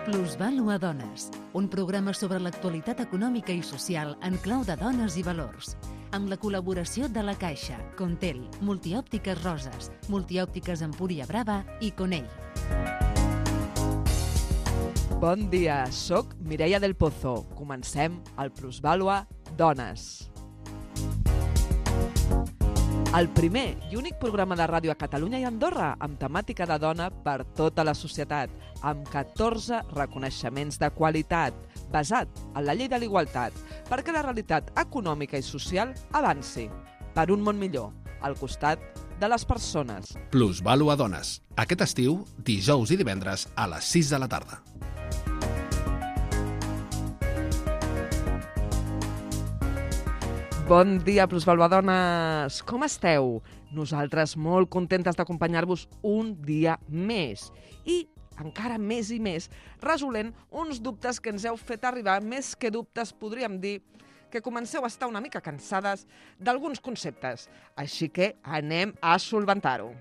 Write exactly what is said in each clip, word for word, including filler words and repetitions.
Plusvàlua Dones, un programa sobre l'actualitat econòmica i social en clau de dones i valors, amb la col·laboració de La Caixa, Contel, Multiòptiques Roses, Multiòptiques Empúria Brava i Conell. Bon dia, soc Mireia del Pozo. Comencem el Plusvàlua Dones. El primer i únic programa de ràdio a Catalunya i Andorra amb temàtica de dona per tota la societat, amb catorze reconeixements de qualitat, basat en la llei de l'igualtat, perquè la realitat econòmica i social avanci per un món millor, al costat de les persones. Plusvàlua Dones. Aquest estiu, dijous i divendres a les sis de la tarda. Bon dia, Plusvàlua Dones! Com esteu? Nosaltres molt contentes d'acompanyar-vos un dia més. I encara més i més, resolent uns dubtes que ens heu fet arribar, més que dubtes podríem dir que comenceu a estar una mica cansades d'alguns conceptes. Així que anem a solventar-ho.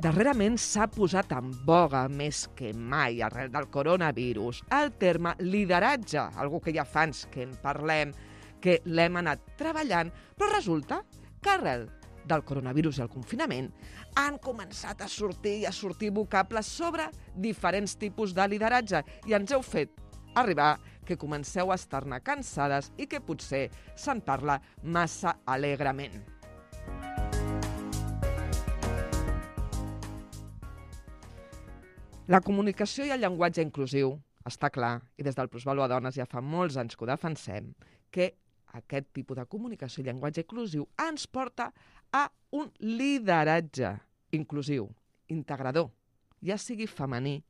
Darrerament s'ha posat en boga, més que mai, arrel del coronavirus, el terme lideratge, algo que ja fa anys que en parlem, que l'hem anat treballant, però resulta que arrel del coronavirus i el confinament han començat a sortir i a sortir vocables sobre diferents tipus de lideratge i ens heu fet arribar que comenceu a estar-ne cansades i que potser se'n parla massa alegrement. La comunicació i el llenguatge inclusiu, està clar, i des del Plusvàlua Dones ja fa molts anys que ho defensem, que aquest tipus de comunicació i llenguatge inclusiu ens porta a un lideratge inclusiu, integrador, ja sigui femení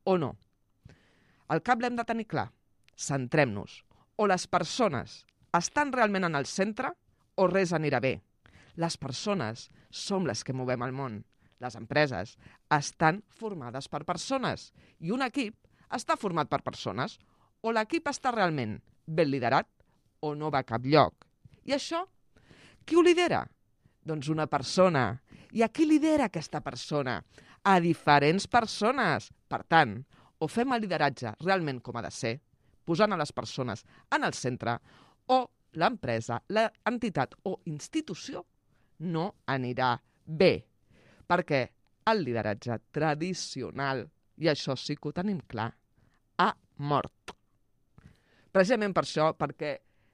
o no. El cap l'hem de tenir clar, centrem-nos, o les persones estan realment en el centre o res anirà bé. Les persones som les que movem el món. Les empreses estan formades per persones i un equip està format per persones. O l'equip està realment ben liderat o no va a cap lloc. I això, qui ho lidera? Doncs una persona. I a qui lidera aquesta persona? A diferents persones. Per tant, o fem el lideratge realment com ha de ser, posant a les persones en el centre, o l'empresa, l'entitat o institució no anirà bé. Perquè el lideratge tradicional, i això sí que ho tenim clar, ha mort. Precisament per això, perquè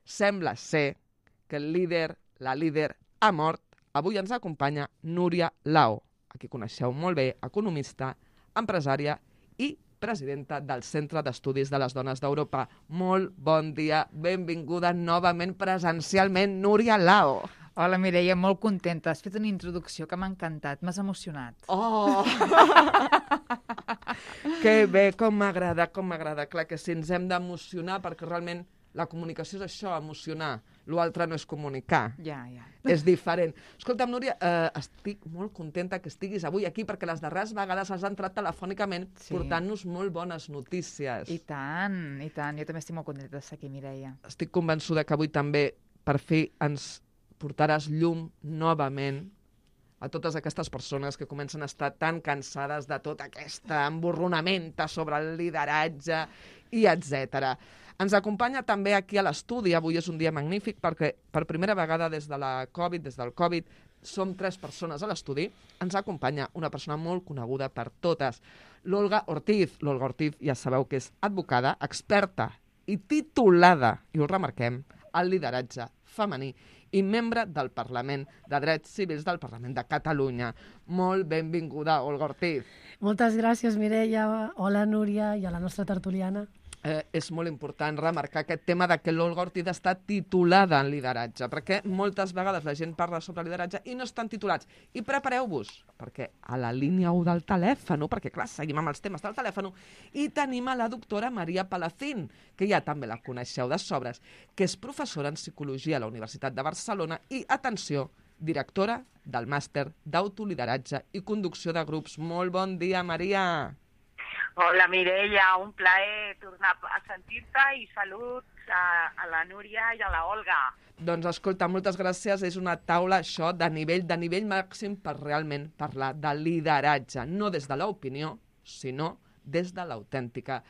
sembla ser que el líder, la líder, ha mort, avui ens acompanya Núria Lao, a qui coneixeu molt bé, economista, empresària i presidenta del Centre d'Estudis de les Dones d'Europa. Molt bon dia, benvinguda novament presencialment, Núria Lao. Hola, Mireia, molt contenta. Has fet una introducció que m'ha encantat, m'has emocionat. Oh! Que bé, com m'agrada, com m'agrada. Clar que sí, ens hem d'emocionar perquè realment la comunicació és això, emocionar. L'altre no és comunicar. Ja, ja. És diferent. Escolta'm, Núria, eh, estic molt contenta que estiguis avui aquí perquè les darreres vegades has entrat telefònicament sí. portant-nos molt bones notícies. I tant, i tant. Jo també estic molt contenta d'estar aquí, Mireia. Estic convençuda que avui també, per fi, ens portaràs llum novament a totes aquestes persones que comencen a estar tan cansades de tota aquesta emborronamenta sobre el lideratge i etcètera. Ens acompanya també aquí a l'estudi, avui és un dia magnífic perquè per primera vegada des de la Covid, des del Covid, som tres persones a l'estudi. Ens acompanya una persona molt coneguda per totes, l'Olga Ortiz. L'Olga Ortiz ja sabeu que és advocada, experta i titulada, i ho remarquem, al lideratge femení i membre del Parlament de Drets Civils del Parlament de Catalunya. Molt benvinguda, Olga Ortiz. Moltes gràcies, Mireia. Hola, Núria, i a la nostra tertuliana. Eh, és molt important remarcar aquest tema de que l'Olga Ortiz està titulada en lideratge, perquè moltes vegades la gent parla sobre lideratge i no estan titulats. I prepareu-vos, perquè a la línia u del telèfon, perquè clar, seguim amb els temes del telèfon, i tenim a la doctora Maria Palacín, que ja també la coneixeu de sobres, que és professora en Psicologia a la Universitat de Barcelona i, atenció, directora del màster d'autolideratge i conducció de grups. Molt bon dia, Maria. Hola, Mireia, un plaer tornar a sentir-te i salut amics, a, a la Núria i a la Olga. Doncs escolta, moltes gràcies. És una taula, això, de nivell, de nivell màxim per realment parlar de lideratge, no des de l'opinió, sinó des de l'autèntica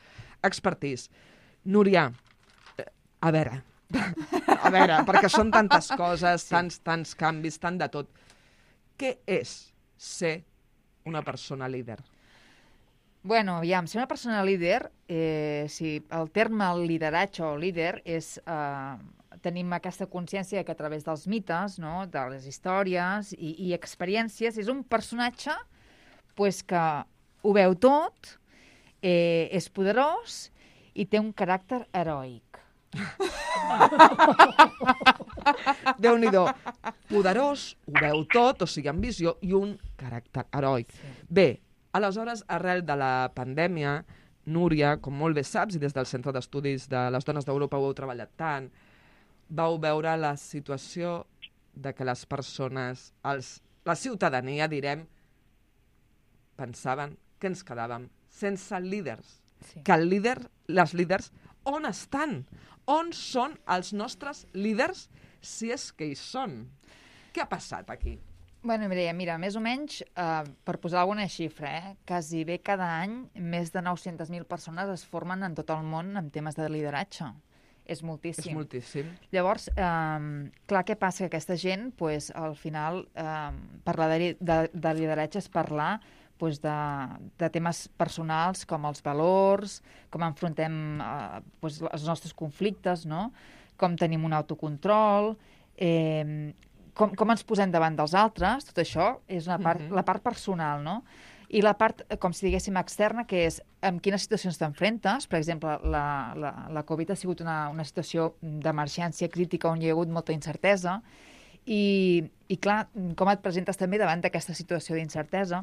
expertise. Núria, eh, a veure, a veure, perquè són tantes coses, tants, tants canvis, tant de tot. Què és ser una persona líder? Bueno, aviam, ser una persona líder, eh, si el terme lideratge o líder és... Eh, tenim aquesta consciència que a través dels mites, no?, de les històries i, i experiències, és un personatge pues, que ho veu tot, eh, és poderós i té un caràcter heroic. Déu-n'hi-do. Poderós, ho veu tot, o sigui, amb visió, i un caràcter heroic. Sí. Bé, aleshores, arrel de la pandèmia, Núria, com molt bé saps, i des del Centre d'Estudis de les Dones d'Europa ho heu treballat tant, vau veure la situació de que les persones, els, la ciutadania, direm, pensaven que ens quedàvem sense líders. Sí. Que el líder, les líders, on estan? On són els nostres líders, si és que hi són? Què ha passat aquí? Bueno, Mireia, mira, més o menys, eh, per posar alguna xifra, eh, quasi bé cada any més de nou-centes mil persones es formen en tot el món en temes de lideratge. És moltíssim. És moltíssim. Llavors, eh, clar, què passa? Que aquesta gent, pues, al final, eh, parlar de, de, de lideratge és parlar pues, de, de temes personals com els valors, com enfrontem eh, pues, els nostres conflictes, no? Com tenim un autocontrol, eh, com, com ens posem davant dels altres, tot això és una part, uh-huh. la part personal, no? I la part, com si diguéssim, externa, que és en quines situacions t'enfrentes. Per exemple, la, la, la Covid ha sigut una, una situació d'emergència crítica on hi ha hagut molta incertesa i, i clar, com et presentes també davant d'aquesta situació d'incertesa?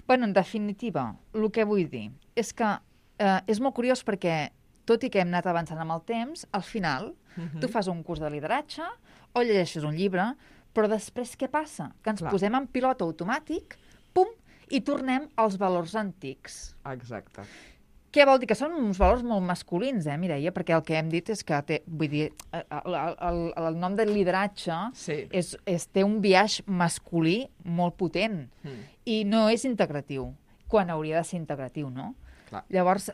Bueno, en definitiva, el que vull dir és que eh, és molt curiós perquè, tot i que hem anat avançant amb el temps, al final uh-huh. tu fas un curs de lideratge o llegeixes un llibre, però després què passa? Que ens clar. Posem en pilot automàtic, pum, i tornem als valors antics. Exacte. Què vol dir? Que són uns valors molt masculins, eh, Mireia? Perquè el que hem dit és que té, vull dir, el, el, el nom de lideratge sí. és, és, té un biaix masculí molt potent mm. i no és integratiu, quan hauria de ser integratiu, no? Clar. Llavors... Eh...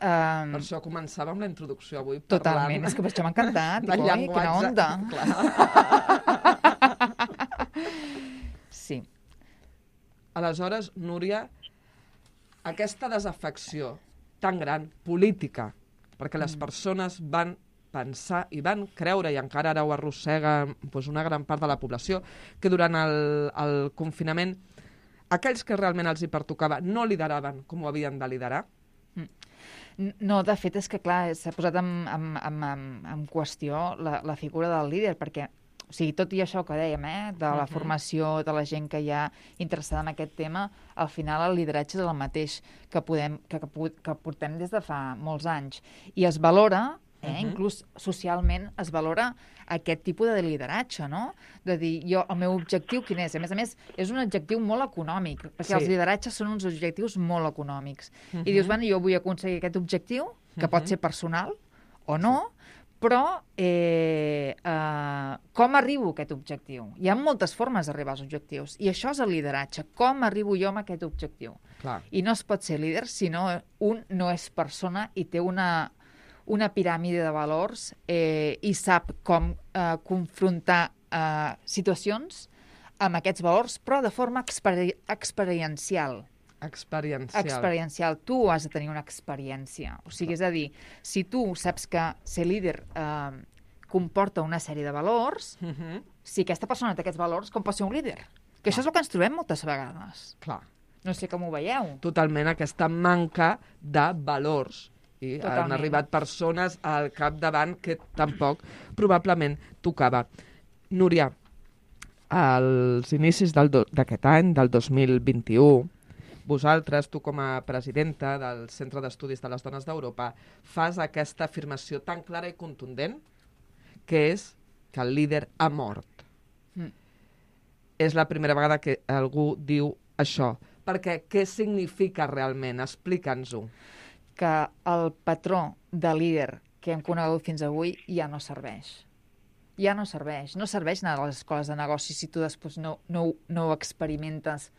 Per això començava amb la introducció avui. Totalment, parlant... és que per això m'ha encantat. Dic, oi, quina onda. Sí. Aleshores, Núria, aquesta desafecció tan gran, política, perquè les persones van pensar i van creure, i encara ara ho arrossega doncs, una gran part de la població, que durant el, el confinament aquells que realment els hi pertocava no lideraven com ho havien de liderar? No, de fet, és que clar, s'ha posat en, en, en, en, en qüestió la, la figura del líder, perquè o sigui, tot i això que dèiem, eh, de la uh-huh. formació, de la gent que hi ha interessada en aquest tema, al final el lideratge és el mateix que, podem, que, que, que portem des de fa molts anys. I es valora, eh, uh-huh. inclús socialment, es valora aquest tipus de lideratge, no? De dir, jo, el meu objectiu quin és? A més a més, és un objectiu molt econòmic, perquè sí. els lideratges són uns objectius molt econòmics. Uh-huh. I dius, bueno, jo vull aconseguir aquest objectiu, que uh-huh. pot ser personal o no, sí. Però eh, eh, com arribo a aquest objectiu? Hi ha moltes formes d'arribar als objectius. I això és el lideratge. Com arribo jo a aquest objectiu? Clar. I no es pot ser líder si no un no és persona i té una, una piràmide de valors eh, i sap com eh, confrontar eh, situacions amb aquests valors, però de forma experi experiencial. Experiencial. Experiencial. Tu has de tenir una experiència. O sigui, és a dir, si tu saps que ser líder eh, comporta una sèrie de valors, uh-huh. si aquesta persona té aquests valors, com pot ser un líder? Que Clar. Això és el que ens trobem moltes vegades. Clar. No sé com ho veieu. Totalment, aquesta manca de valors. I Totalment. Han arribat persones al capdavant que tampoc probablement tocava. Núria, als inicis d'aquest any, del dos mil vint-i-u, vosaltres, tu com a presidenta del Centre d'Estudis de les Dones d'Europa, fas aquesta afirmació tan clara i contundent que és que el líder ha mort. Mm. És la primera vegada que algú diu això. Perquè què significa realment? Explica'ns-ho. Que el patró de líder que hem conegut fins avui ja no serveix. Ja no serveix. No serveix anar a les escoles de negocis si tu després no, no, no ho experimentes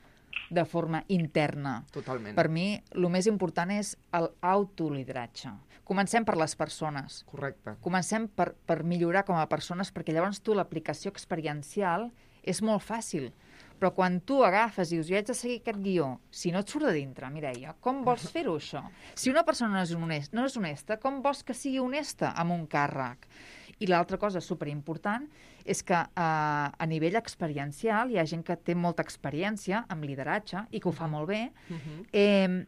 de forma interna. Totalment. Per mi, el més important és l'autolideratge. Comencem per les persones. Correcte. Comencem per, per millorar com a persones, perquè llavors tu l'aplicació experiencial és molt fàcil. Però quan tu agafes i dius, jo haig de seguir aquest guió, si no et surt de dintre, Mireia, com vols fer-ho, això? Si una persona no és, honest, no és honesta, com vols que sigui honesta amb un càrrec? I l'altra cosa superimportant és que eh, a nivell experiencial hi ha gent que té molta experiència amb lideratge i que ho fa molt bé, Uh-huh. eh,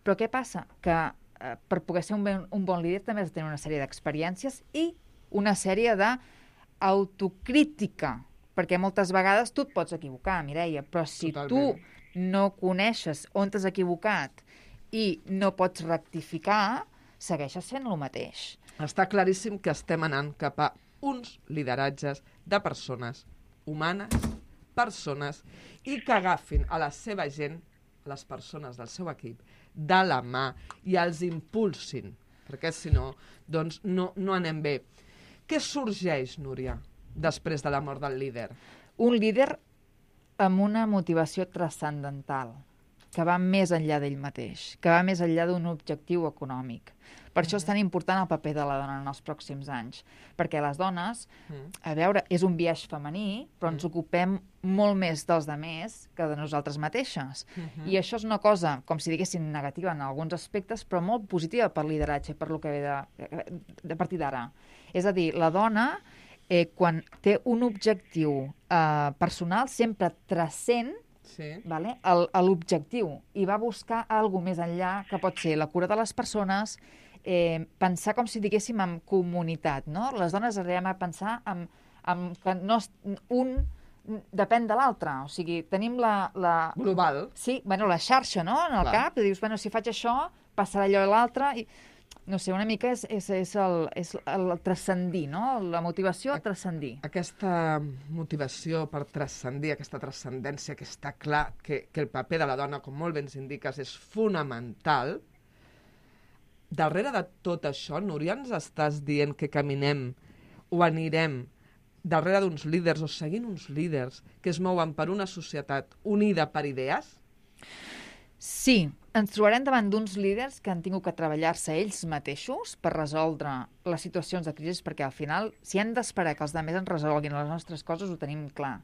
però què passa? Que eh, per poder ser un, ben, un bon líder també has de tenir una sèrie d'experiències i una sèrie d'autocrítica, perquè moltes vegades tu et pots equivocar, Mireia, però si Totalment. tu no coneixes on t'has equivocat i no pots rectificar, segueixes sent el mateix. Està claríssim que estem anant cap a uns lideratges de persones humanes, persones, i que agafin a la seva gent, a les persones del seu equip, de la mà i els impulsin, perquè si no, doncs no, no anem bé. Què sorgeix, Núria, després de la mort del líder? Un líder amb una motivació transcendental, que va més enllà d'ell mateix, que va més enllà d'un objectiu econòmic. Per això és tan important el paper de la dona en els pròxims anys, perquè les dones, a veure, és un biaix femení, però ens ocupem molt més dels demés que de nosaltres mateixes. I això és una cosa, com si diguéssim, negativa en alguns aspectes, però molt positiva per lideratge, per lo que ve de, de partir d'ara. És a dir, la dona, eh, quan té un objectiu eh, personal, sempre transcent Sí. vale? l'objectiu i va buscar alguna més enllà, que pot ser la cura de les persones, eh, pensar com si diguéssim en comunitat, no? Les dones arribem a pensar en, en que no, un depèn de l'altre, o sigui, tenim la... la... Global. Sí, bueno, la xarxa, no?, en el Clar. cap, i dius, bueno, si faig això, passarà allò a l'altre, i no sé, una mica és, és, és, el, és el transcendir, no?, la motivació a transcendir. Aquesta motivació per transcendir, aquesta transcendència, que està clar que, que el paper de la dona, com molt bé ens indiques, és fonamental. Darrere de tot això, Núria, ens estàs dient que caminem o anirem darrere d'uns líders o seguint uns líders que es mouen per una societat unida per idees? Sí, ens trobarem davant d'uns líders que han tingut que treballar-se ells mateixos per resoldre les situacions de crisi, perquè al final, si hem d'esperar que els altres ens resolguin les nostres coses, ho tenim clar.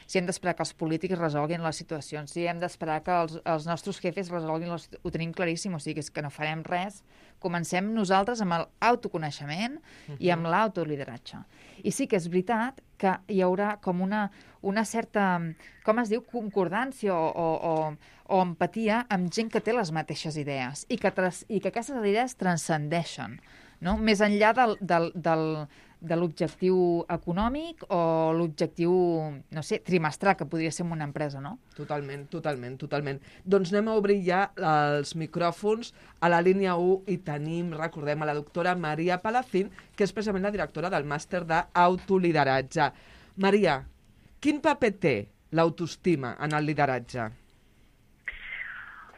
Si hem d'esperar que els polítics resolguin les situacions, si hem d'esperar que els, els nostres jefes resolguin les situacions, ho tenim claríssim, o sigui, és que no farem res. Comencem nosaltres amb l'autoconeixement uh-huh. i amb l'autolideratge. I sí que és veritat que hi haurà com una, una certa, com es diu, concordància o, o, o, o empatia amb gent que té les mateixes idees i que, tras, i que aquestes idees transcendeixen, no? Més enllà del, del, del, de l'objectiu econòmic o l'objectiu, no sé, trimestral, que podria ser en una empresa, no? Totalment, totalment, totalment. Doncs anem a obrir ja els micròfons a la línia u i tenim, recordem, a la doctora Maria Palacín, que és precisament la directora del màster d'autolideratge. Maria, quin paper té l'autoestima en el lideratge?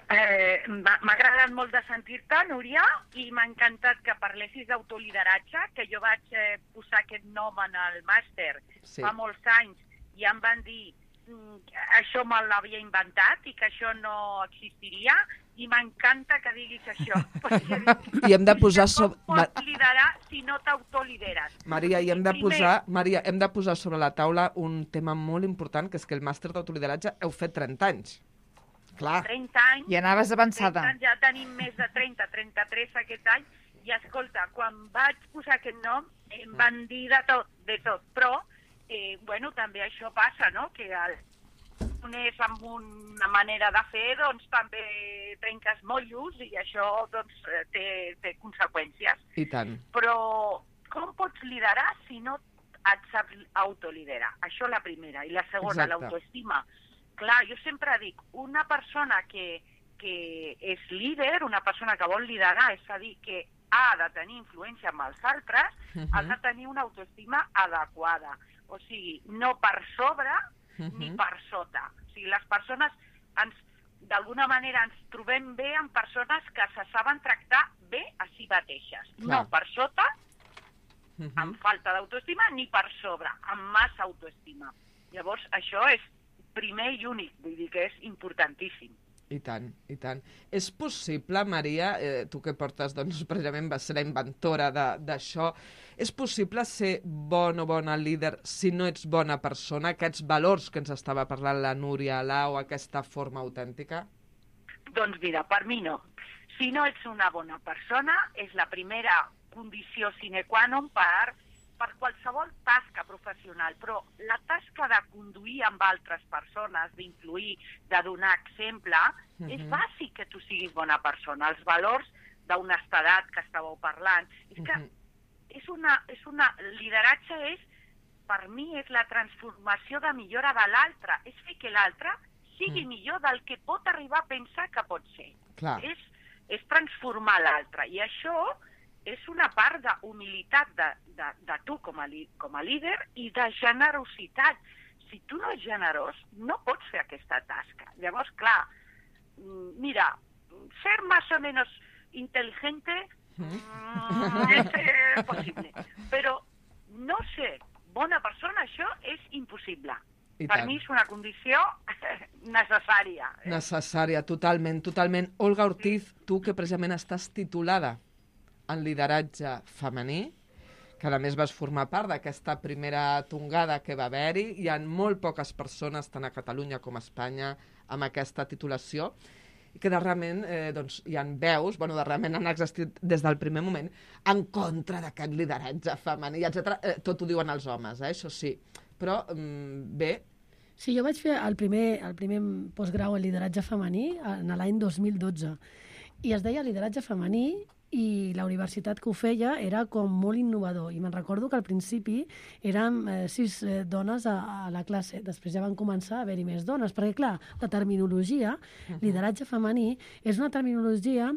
Eh, m'ha agradat molt de sentir-te, Núria, i m'ha encantat que parlessis d'autolideratge, que jo vaig eh, posar aquest nom en el màster Sí. fa molts anys i em van dir mm, això me l'havia inventat i que això no existiria, i m'encanta que diguis això. Perquè I hem de posar com sobre... pots liderar si no t'autolideres? Maria, i hem de Primer- posar, Maria, hem de posar sobre la taula un tema molt important, que és que el màster d'autolideratge heu fet trenta anys. Clar. trenta anys. I anaves avançada. trenta, ja tenim més de trenta, trenta-tres aquest any, i escolta, quan vaig posar aquest nom em van dir de tot, de tot, però eh, bueno, també això passa, no?, que el és amb una manera de fer, doncs també trenques mollos i això doncs té, té conseqüències. I tant. Però com pots liderar si no et saps autoliderar? Això la primera. I la segona, Exacte. l'autoestima. Clar, jo sempre dic, una persona que, que és líder, una persona que vol liderar, és a dir, que ha de tenir influència amb els altres, uh -huh. ha de tenir una autoestima adequada. O sigui, no per sobre uh -huh. ni per sota. O sigui, les persones, ens, d'alguna manera, ens trobem bé amb persones que se saben tractar bé a si mateixes. Clar. No per sota Uh-huh. amb falta d'autoestima, ni per sobre, amb massa autoestima. Llavors, això és primer i únic, vull dir que és importantíssim. I tant, i tant. És possible, Maria, eh, tu que portes, doncs, precisament vas ser la inventora d'això, és possible ser bon o bona líder si no ets bona persona? Aquests valors que ens estava parlant la Núria Alau, aquesta forma autèntica? Doncs mira, per mi no. Si no ets una bona persona, és la primera condició sine qua non per, per qualsevol tasca professional, però la tasca de conduir amb altres persones, d'influir, de donar exemple, uh-huh. és bàsic que tu siguis bona persona. Els valors d'honestedat que estàveu parlant, és que uh-huh. és una, és una, lideratge és, per mi, és la transformació de millora de l'altre, és fer que l'altre sigui uh-huh. millor del que pot arribar a pensar que pot ser. Clar. És, és transformar l'altre, i això és una part d'humilitat de, de, de tu com a, li, com a líder i de generositat. Si tu no ets generós, no pots fer aquesta tasca. Llavors, clar, mira, ser más o menos inteligente mm, és eh, possible, però no ser bona persona, això és impossible. I per tant. mi és una condició necessària. Eh? Necessària, totalment, totalment. Olga Ortiz, tu que precisament estàs titulada en lideratge femení, que a més vas formar part d'aquesta primera tongada que va haver-hi. Hi ha molt poques persones, tant a Catalunya com a Espanya, amb aquesta titulació, i que darrerament eh, doncs, hi ha veus, bueno, darrerament han existit des del primer moment, en contra d'aquest lideratge femení, etcètera. Eh, tot ho diuen els homes, eh, això sí. Però, mm, bé... Sí, jo vaig fer el primer, el primer postgrau en lideratge femení en l'any dos mil dotze, i es deia lideratge femení, i la universitat que ho feia era com molt innovador, i me'n recordo que al principi érem eh, sis eh, dones a, a la classe, després ja van començar a haver-hi més dones, perquè clar, la terminologia, uh-huh. lideratge femení, és una terminologia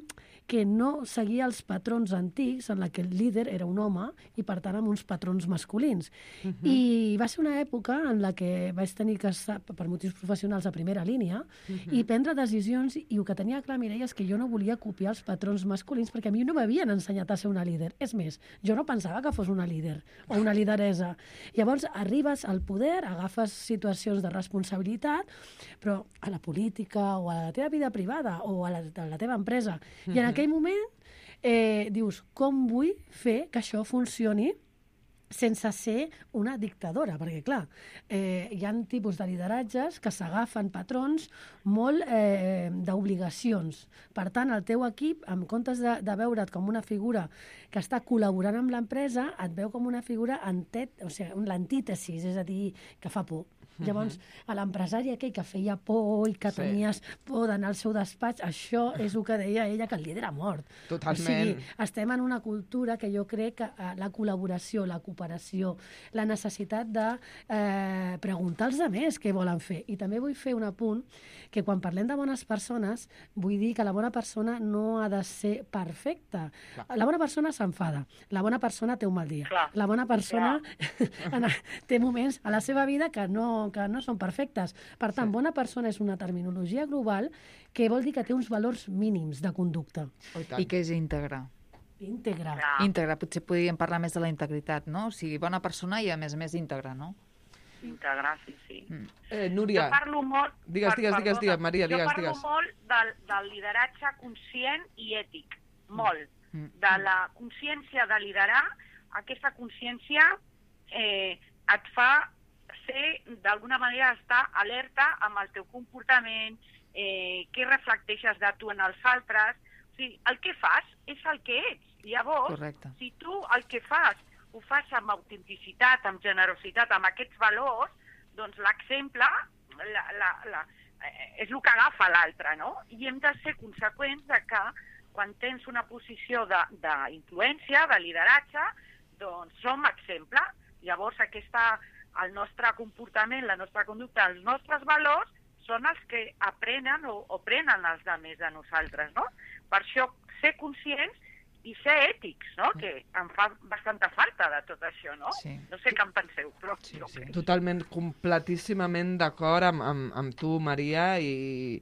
que no seguia els patrons antics en la que el líder era un home i per tant amb uns patrons masculins. Uh-huh. I va ser una època en la que vaig tenir que estar per motius professionals a primera línia uh-huh. i prendre decisions, i el que tenia clar, Mireia, és que jo no volia copiar els patrons masculins perquè a mi no m'havien ensenyat a ser una líder. És més, jo no pensava que fos una líder o una lideresa. Llavors arribes al poder, agafes situacions de responsabilitat, però a la política o a la teva vida privada o a la, a la teva empresa. I en aquell moment eh, dius, com vull fer que això funcioni sense ser una dictadora, perquè, clar, eh, hi ha tipus de lideratges que s'agafen patrons molt eh, d'obligacions. Per tant, el teu equip, en comptes de, de veure't com una figura que està col·laborant amb l'empresa, et veu com una figura antet, o sigui, l'antítesis, és a dir, que fa por. Llavors, a l'empresari aquell que feia por i que sí. tenies por d'anar al seu despatx, això és el que deia ella, que el líder ha mort. Totalment. O sigui, estem en una cultura que jo crec que eh, la col·laboració, la cooperació, la necessitat de eh, preguntar als altres què volen fer. I també vull fer un apunt, que quan parlem de bones persones, vull dir que la bona persona no ha de ser perfecta. Clar. La bona persona s'enfada, la bona persona té un mal dia. Clar. La bona persona té moments a la seva vida que no que no són perfectes. Per tant, sí. bona persona és una terminologia global que vol dir que té uns valors mínims de conducta. Oh, I que és íntegra. Íntegra. Ja. Íntegra, potser podríem parlar més de la integritat, no? O sigui, bona persona i, a més a més, íntegra, no? Íntegra, sí, sí. Mm. Eh, Núria, jo parlo molt... digues, digues, digues, digues, Maria, digues, jo parlo digues. molt del, del lideratge conscient i ètic, molt. Mm. De la consciència de liderar, aquesta consciència eh, et fa ser, d'alguna manera, estar alerta amb el teu comportament, eh, què reflecteixes de tu en els altres. O sigui, el que fas és el que ets. Llavors, correcte. Si tu el que fas ho fas amb autenticitat, amb generositat, amb aquests valors, doncs l'exemple la, la, la, eh, és el que agafa l'altre, no? I hem de ser conseqüents de que quan tens una posició d'influència, de, de lideratge, doncs som exemple. Llavors, aquesta... el nostre comportament, la nostra conducta, els nostres valors són els que aprenen o, o prenen els altres de nosaltres, no? Per això ser conscients i ser ètics, no? Que em fa bastanta falta de tot això, no? Sí. No sé què en penseu, però... Sí, sí. Totalment, completíssimament d'acord amb, amb, amb tu, Maria, i,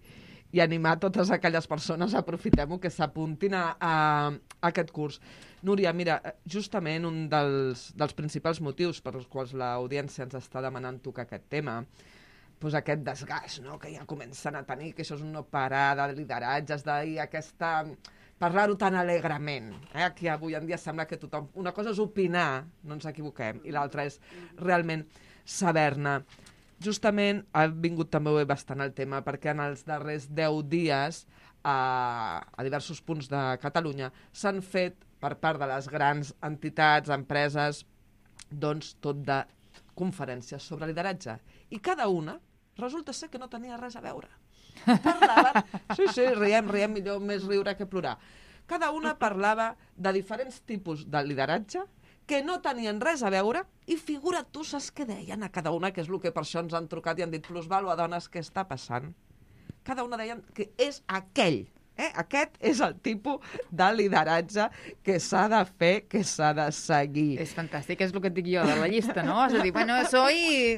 i animar totes aquelles persones, aprofitem-ho, que s'apuntin a, a, a aquest curs. Núria, mira, justament un dels, dels principals motius per als quals l'audiència ens està demanant tocar aquest tema, doncs aquest desgast, no?, que ja comencen a tenir, que això és un no parar de lideratges, d'ahir aquesta... parlar-ho tan alegrement. Eh? Aquí avui en dia sembla que tothom... Una cosa és opinar, no ens equivoquem, i l'altra és realment saber-ne. Justament ha vingut també bastant el tema, perquè en els darrers deu dies a, a diversos punts de Catalunya s'han fet, per part de les grans entitats, empreses, doncs tot de conferències sobre lideratge. I cada una resulta ser que no tenia res a veure. Parlaven... Sí, sí, riem, riem, millor més riure que plorar. Cada una parlava de diferents tipus de lideratge que no tenien res a veure, i figura tu saps què deien a cada una, que és el que per això ens han trucat i han dit plusvàlua, dones, què està passant? Cada una deien que és aquell, eh? Aquest és el tipus de lideratge que s'ha de fer, que s'ha de seguir. És fantàstic, és el que et dic jo de la llista, no? És a dir, bueno, soy,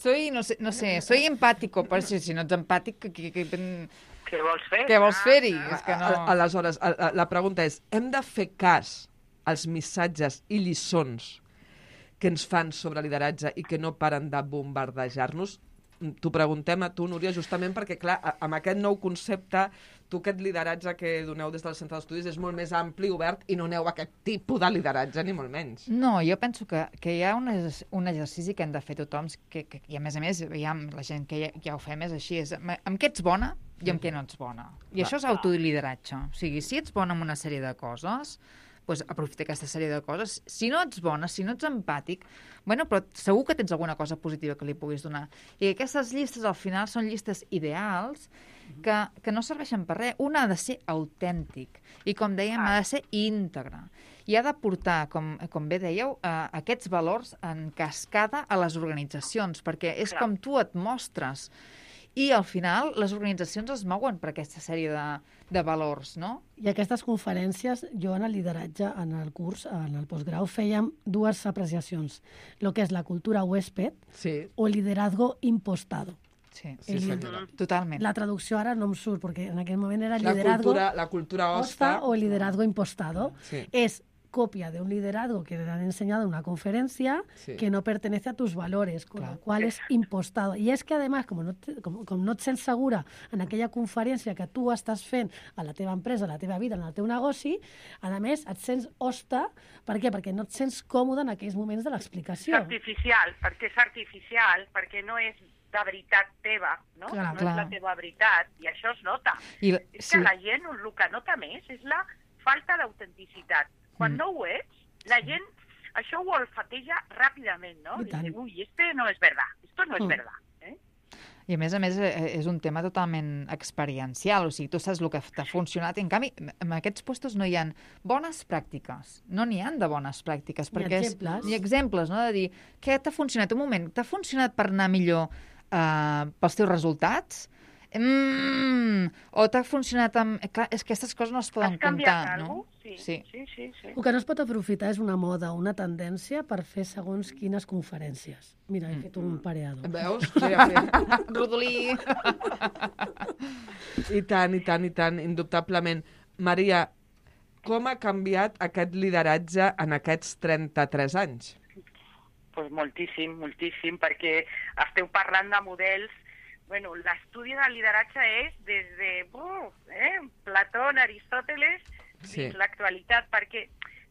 soy no sé, no sé, soy empàtico, però si, si no ets empàtic, que, que, que, Què vols fer? què vols fer-hi? És que no... Aleshores, la pregunta és, hem de fer cas als missatges i lliçons que ens fan sobre lideratge i que no paren de bombardejar-nos? T'ho preguntem a tu, Núria, justament perquè, clar, amb aquest nou concepte, tu aquest lideratge que doneu des del centre d'estudis és molt més ampli, obert, i no aneu a aquest tipus de lideratge, ni molt menys. No, jo penso que, que hi ha un, un exercici que hem de fer tothom, que, que, i a més a més, ja, la gent que ja, ja ho fem és així, és amb què ets bona i amb què no ets bona. I això és autolideratge. O sigui, si ets bona en una sèrie de coses, doncs aprofita aquesta sèrie de coses. Si no ets bona, si no ets empàtic, bueno, però segur que tens alguna cosa positiva que li puguis donar. I aquestes llistes, al final, són llistes ideals que, que no serveixen per res. Un ha de ser autèntic i, com dèiem, ha de ser íntegre. I ha de portar, com, com bé dèieu, eh, aquests valors en cascada a les organitzacions, perquè és com tu et mostres. I, al final, les organitzacions es mouen per aquesta sèrie de, de valors, no? I aquestes conferències, jo en el lideratge, en el curs, en el postgrau, fèiem dues apreciacions. Lo que és la cultura huésped sí. o el liderazgo impostado. Sí, sí, el, totalment. La traducció ara no em surt, perquè en aquell moment era la liderazgo cultura, la cultura hosta o el liderazgo impostado. Sí. És copia de un liderazgo que te han enseñado en una conferencia sí. que no pertenece a tus valores, con claro. lo cual es impostado. Y es que, además, como no, te, com, com no et sents segura en aquella conferència que tu estàs fent a la teva empresa, a la teva vida, en el teu negoci, a més, et sents hosta. Per què? Perquè no et sents còmode en aquells moments de l'explicació. És artificial, perquè és artificial, perquè no és de veritat teva, no? Clar, no clar. és la teva veritat, i això es nota. I, és que sí. la gent el que nota més és la falta d'autenticitat. Quan mm. no ho ets, la gent això ho olfateja ràpidament, no? I diu, ui, este no és verdad, esto no és mm. verdad. Eh? I a més a més és un tema totalment experiencial, o sigui, tu saps el que t'ha funcionat, i en canvi, en aquests puestos no hi ha bones pràctiques, no n'hi ha de bones pràctiques, ni perquè exemples. És, ni exemples, no? De dir, què t'ha funcionat? Un moment, t'ha funcionat per anar millor eh, pels teus resultats? Mm, o t'ha funcionat amb... Clar, és que aquestes coses no es poden comptar, no? Sí, sí, sí, sí, sí. El que no es pot aprofitar és una moda, una tendència per fer segons quines conferències. Mira, he fet un pareado. Veus? Sí, sí. Rodolí! I tant, i tant, i tant, indubtablement. Maria, com ha canviat aquest lideratge en aquests trenta-tres anys? Pues moltíssim, moltíssim, perquè esteu parlant de models. Bueno, l'estudi del lideratge és des de uh, eh, Platón, Aristòteles, sí. fins l'actualitat, perquè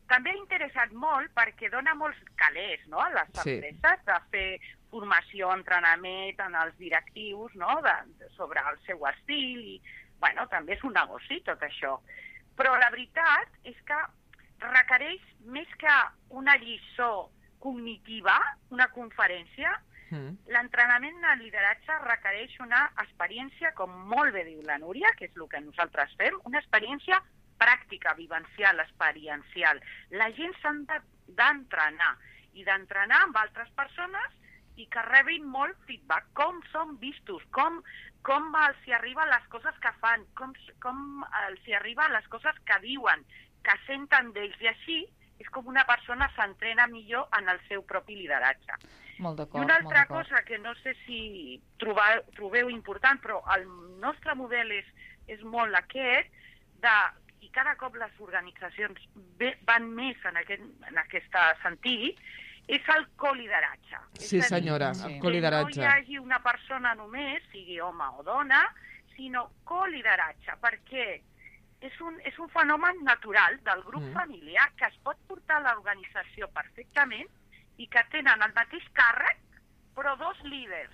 també ha interessat molt perquè dona molts calés, no?, a les sí. empreses de fer formació, entrenament en els directius, no?, de, de, sobre el seu estil, i, bueno, també és un negoci tot això. Però la veritat és que requereix més que una lliçó cognitiva, una conferència. Mm. L'entrenament en lideratge requereix una experiència, com molt bé diu la Núria, que és el que nosaltres fem, una experiència pràctica, vivencial, experiencial. La gent s'ha d'entrenar, i d'entrenar amb altres persones i que rebin molt feedback, com són vistos, com, com els hi arriben les coses que fan, com, com els hi arriben les coses que diuen, que senten d'ells, i així és com una persona s'entrena millor en el seu propi lideratge. Molt d'acord, I una molt altra d'acord. cosa que no sé si trobeu, trobeu important, però el nostre model és, és molt aquest, de, i cada cop les organitzacions ve, van més en aquest, en aquest sentit, és el colideratge. Sí, és a dir, senyora, Sí. el colideratge. que no hi hagi una persona només, sigui home o dona, sinó colideratge, perquè és un, és un fenomen natural del grup Mm. familiar que es pot portar a l'organització perfectament i que tenen el mateix càrrec, però dos líders.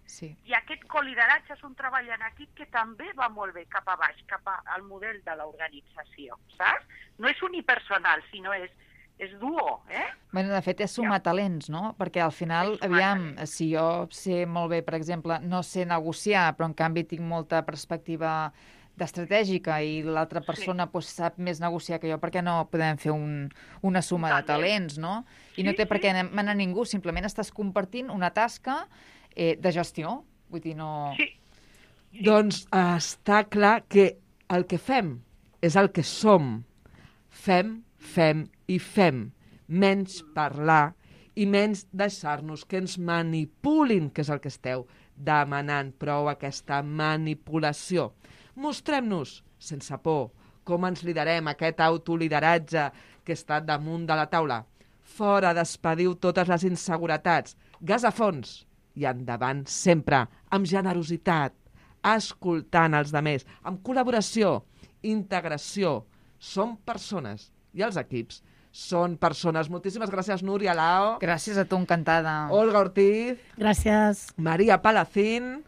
Sí. I aquest colideratge és un treball en equip que també va molt bé cap a baix, cap al model de l'organització, saps? No és unipersonal, sinó és, és duo, eh? Bueno, de fet, és sumar talents, no? Perquè al final, És sumar aviam, talents. si jo sé molt bé, per exemple, no sé negociar, però en canvi tinc molta perspectiva d'estratègica i l'altra persona sí. pues, sap més negociar que jo, per què no podem fer un, una suma de talents, no? I no Sí, té per sí. què manar ningú, simplement estàs compartint una tasca eh, de gestió. Vull dir, no... Sí, Doncs eh, està clar que el que fem és el que som. Fem, fem i fem. Menys parlar i menys deixar-nos que ens manipulin, que és el que esteu demanant, prou aquesta manipulació. Mostrem-nos, sense por, com ens liderem, aquest autolideratge que està damunt de la taula. Fora, despediu totes les inseguretats, gas a fons i endavant sempre, amb generositat, escoltant els demés, amb col·laboració, integració. Som persones i els equips són persones. Moltíssimes gràcies, Núria Lao, Gràcies a tu, encantada. Olga Ortiz, Gràcies. Maria Palacín.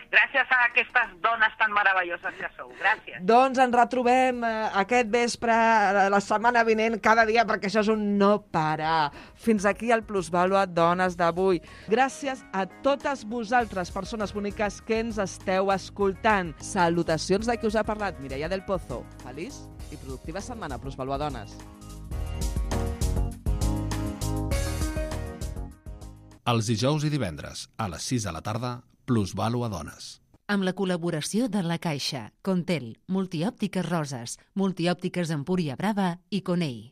gràcies a aquestes dones tan meravelloses que sou. Gràcies. Doncs ens retrobem eh, aquest vespre, eh, la setmana vinent, cada dia, perquè això és un no parar. Fins aquí el Plusvàlua Dones d'avui. Gràcies a totes vosaltres, persones boniques que ens esteu escoltant. Salutacions de qui us ha parlat, Mireia del Pozo. Feliç i productiva setmana, Plusvàlua Dones. Els dijous i divendres, a les sis de la tarda, Plusvàlua Dones. Amb la col·laboració de La Caixa, Contel, Multiòptiques Roses, Multiòptiques Empúria Brava i Conei.